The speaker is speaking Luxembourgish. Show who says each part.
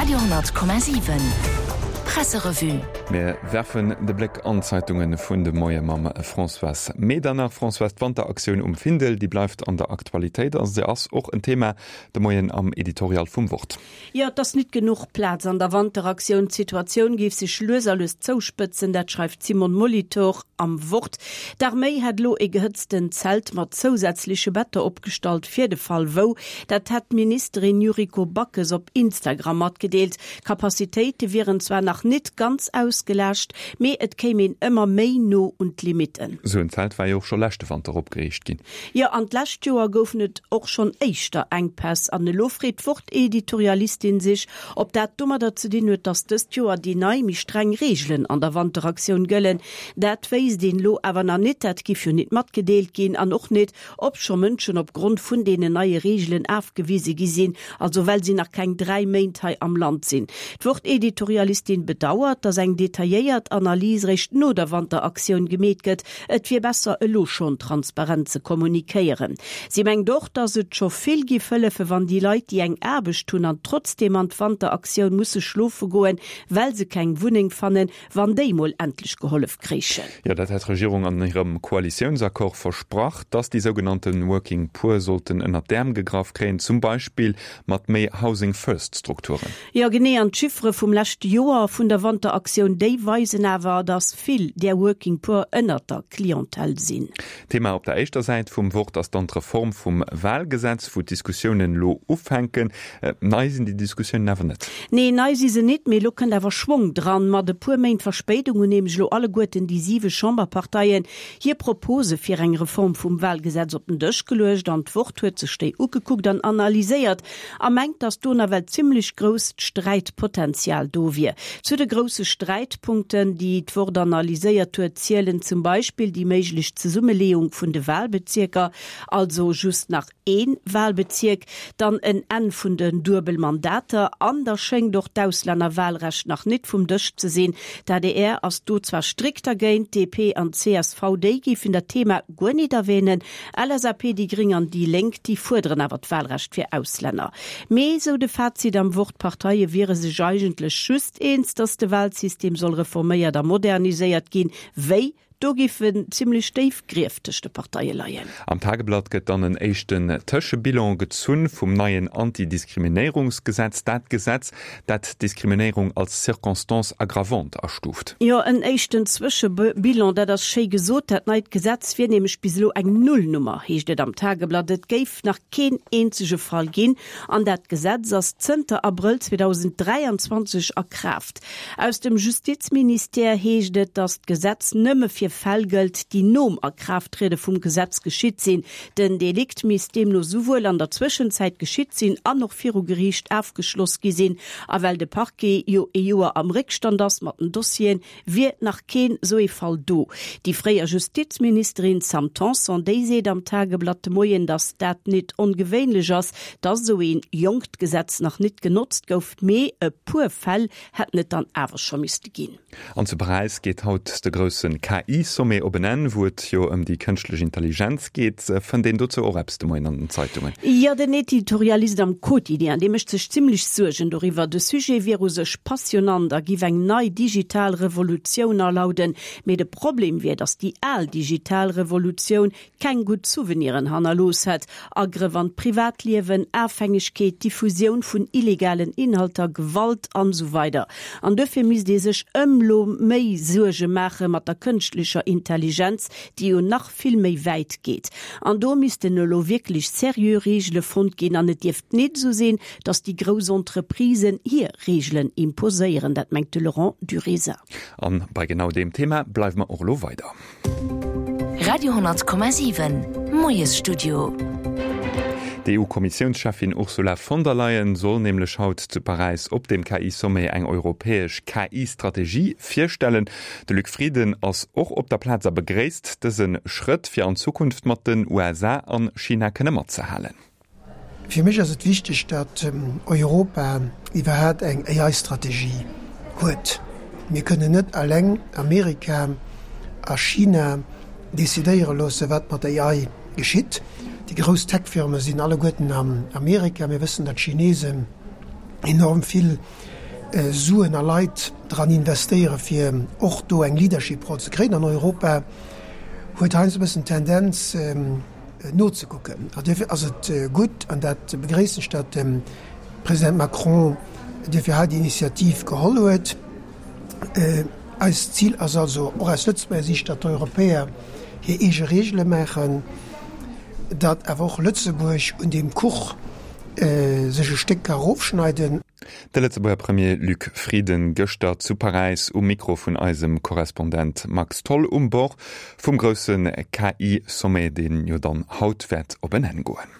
Speaker 1: Radio,7 Presserevue.
Speaker 2: Mir werfen de Bléck an d'Zeitunge vun de Moie mam Françoise Medernach. Françoise, d'Wanteraktioun um Findel, déi bleift an der Aktualitéit a se ass och en Thema de Moien am Editorial vum Wort.
Speaker 3: Jo, et ass nit genuch Plaz an der Wanteraktioun. D'Situatioun géif sech lues a lues zouspëtzen, dat schreift d'Simone Molitor am Wort. D'Arméi hätt elo e gehëtztent Zelt mat zousätzleche Better opgestallt fir de Fall wou. Dat hätt d'Ministerin Yuriko Backes op Instagram matgedeelt. D'Capacitéite wieren zwar nach nit ganz ausgelaascht, mee et kéim een ëmmer méi no un d'Limitten.
Speaker 2: Esou en Zelt war jo och scho leschte Wanter opgeriicht ginn.
Speaker 3: Jo, an d'lescht Joer goufen et och schonn éischter Enkpäss. An elo freet d'Wort-Editorialistin sech, ob dat domadder ze dinn huet, datt dëst Joer déi nei, méi streng Reegelen an der Wanteraktioun gëllen. Dat wéisst een elo awer nach nit, dat giff jo nit matgedeelt ginn. An och nit, ob scho Mënschen op Grond vun deenen neie Reegelen afgewise gi sinn, also well si nach keng 3 Méint hei am Land sinn. D'Wort-Editorialistin bedauert, datt eng detailléiert Analys réischt no der Wanteraktioun gemeet gëtt. Et wier besser elo schonn transparent ze kommunikéieren. Si mengt och, datt et scho vill giff hëllefe wann déi Leit, déi eng Aarbecht hunn an trotzdeem an d'Wanteraktioun musse schlofe goen, well se keng Wunneng fannen, wann déi mol endlech gehollef kréichen.
Speaker 2: Jo, dat hat d'Regierung an hirem Koalitiounsaccord versprach, dass déi sougenannte Working Poor sollten ënnert d'Äerm gegraff kréien, zum Beispill mat méi Housing First Strukturen.
Speaker 3: Jo, genee. An d'Chiffere vum leschte Joer vun der Wanteraktioun, déi weisen awer, dass vill där Working Poor ënnert der Clientèle sinn.
Speaker 2: Thema op der éischter Säit vum Wort ass dann d'Reform vum Wahlgesetz, wou d'Diskussiounen elo ufänken. Nei sinn déi Diskussiounen awer net.
Speaker 3: Nee, nei si se nit, mee elo kënnt awer Schwong dran. Mat e puer Méint Verspéidung hunn nämlech elo alleguerten déi siwe Chamberparteien hir Propose fir eng Reform vum Wahlgesetz op den Dësch geluecht an d'Wort huet sech déi ugekuckt an analyséiert a mengt, datt do nawell zimlech grousst Sträitpotenzial do wier. Zu de grousse Sträitpunkten, déi d'Wort analyséiert huet, zielen zum Beispill déi méiglech Zesummeleeung vun de Wahlbezierker, also just nach ee Wahlbezierk, dann en Enn vun den Duebelmandater an da schéngt och d'Auslännerwahlrecht nach nit vum Dësch ze sinn. D'adr ass do zwar strikt dergéint, DP an csv, déi géifen dat Thema guer nit erwähnen. LSAP, déi Gréng an déi Lénk, déi fuerderen awer d'Wahlrecht fir Auslänner. Mee, sou de Fazit am Wort, d'Parteie wiere sech eigentlech just eens, datt de Wahlsystem soll reforméiert a moderniséiert ginn. Wéi? Do géifen zimlech déif Grief tëscht de Parteie leien.
Speaker 2: Am Tageblatt gëtt dann en éischten Tëschebilan gezunn vum neien Antidiskriminéierungsgesetz, dat Gesetz, dat d'Diskriminéierung als Circonstance aggravante astuuft.
Speaker 3: Jo, en éischten Zwëschebilan, dat ass schéi gesot. Dat neit Gesetz wier nämlech bis elo eng Nullnummer, heescht et am Tageblatt. Et géif nach keen eenzege Fall ginn an dat Gesetz ass zënter Abrëll 2023 a Kraaft. Aus dem Justizministère heescht et, datt d'Gesetz nëmme fir Fäll gëllt, déi nom Akraafttriede vum Gesetz geschitt sinn. Den Delikt misst deemno souwuel an der Zwëschenzäit geschitt sinn an och viru Geriicht afgeschloss gi sinn. A well de Parquet jo ee Joer am Réckstand ass mat den Dossieren, wier nach keen esou ee Fall do. Déi fréier Justizministerin Sam Tanson, déi seet am Tageblatt de Moien, datt dat nit ongewéinlech ass, datt esou een jonkt Gesetz nach nit genotzt gouf, mee e puer Fäll hätten et dann awer scho misste ginn.
Speaker 2: An zu Paräis geet haut de grousse KI-Sommet op en Enn, wou et jo ëm déi kënschtlech Intelligenz geet. Fënnt een dozou och eppes de Moien an den Zeitungen?
Speaker 3: Jo, den Editorialist am Quotidien, dee mécht sech zimmlech Suergen doriwwer. De Sujet wier u sech passionant a giff eng nei digital Revolutioun alauden. Mee de Problem wier, datt déi al digital Revolutioun keng gutt Souveniren hannerlooss hätt, Agrëff an d'Privatliewen, Afhängegkeet, Diffusioun vun illegalen Inhalter, Gewalt an esou weider An duerfir misst ee sech ëmlo méi Suerge maache mat der kënschtlecher Intelligenz, déi jo nach vill méi wäit geet. An do missten elo wierklech seriö Reegele fonnt ginn an et dierft nit esou sinn, datt déi grouss Entreprisen hir Reegelen imposéieren. Dat mengt de Laurent Duresa.
Speaker 2: An bei genau deem Thema bleiwe mer och elo weider.
Speaker 1: Radio,7 Moiesstudio.
Speaker 2: D'EU-Kommissiounscheffin Ursula von der Leyen soll nämlech haut zu Paräis op dem KI-Sommet eng europäesch KI-Strategie virstellen. De Luc Frieden ass och op der Plaz a begréisst dëse Schrëtt, fir an Zukunft mat den USA an China kënne matzehalen.
Speaker 4: Fir mech ass et wichteg, datt Europa iwwerhaapt eng AI-Strategie huet. Mir kënnen net alleng Amerika a China decidéiere loosse wat mat AI geschitt. Déi grouss Tech-Firme sinn alleguerten an Amerika. Mir wëssen, datt d'Chinesen enorm vill. Suen a Leit dran investéiere fir och do eng Leadership-Roll ze kréien. An Europa huet heiansdo e bëssen d'Tendenz nozekucken. An duerfir ass et gutt, an dat begréissen ech, datt de President Macron duerfir hei déi Initiativ geholl huet. Eist Zil ass also, och aus Lëtzebuerger Siicht, datt d'Europäer hir eege Reegele maachen, datt awer och Lëtzebuerg un deem Kuch sech e Stéck ka erofschneiden.
Speaker 2: De Lëtzebuerger Premier Luc Frieden gëschter zu Paräis um Mikro vun eisem Korrespondent Max Tholl um Bord vum grousse KI-Sommet, deen jo dann haut wäert op en Enn goen.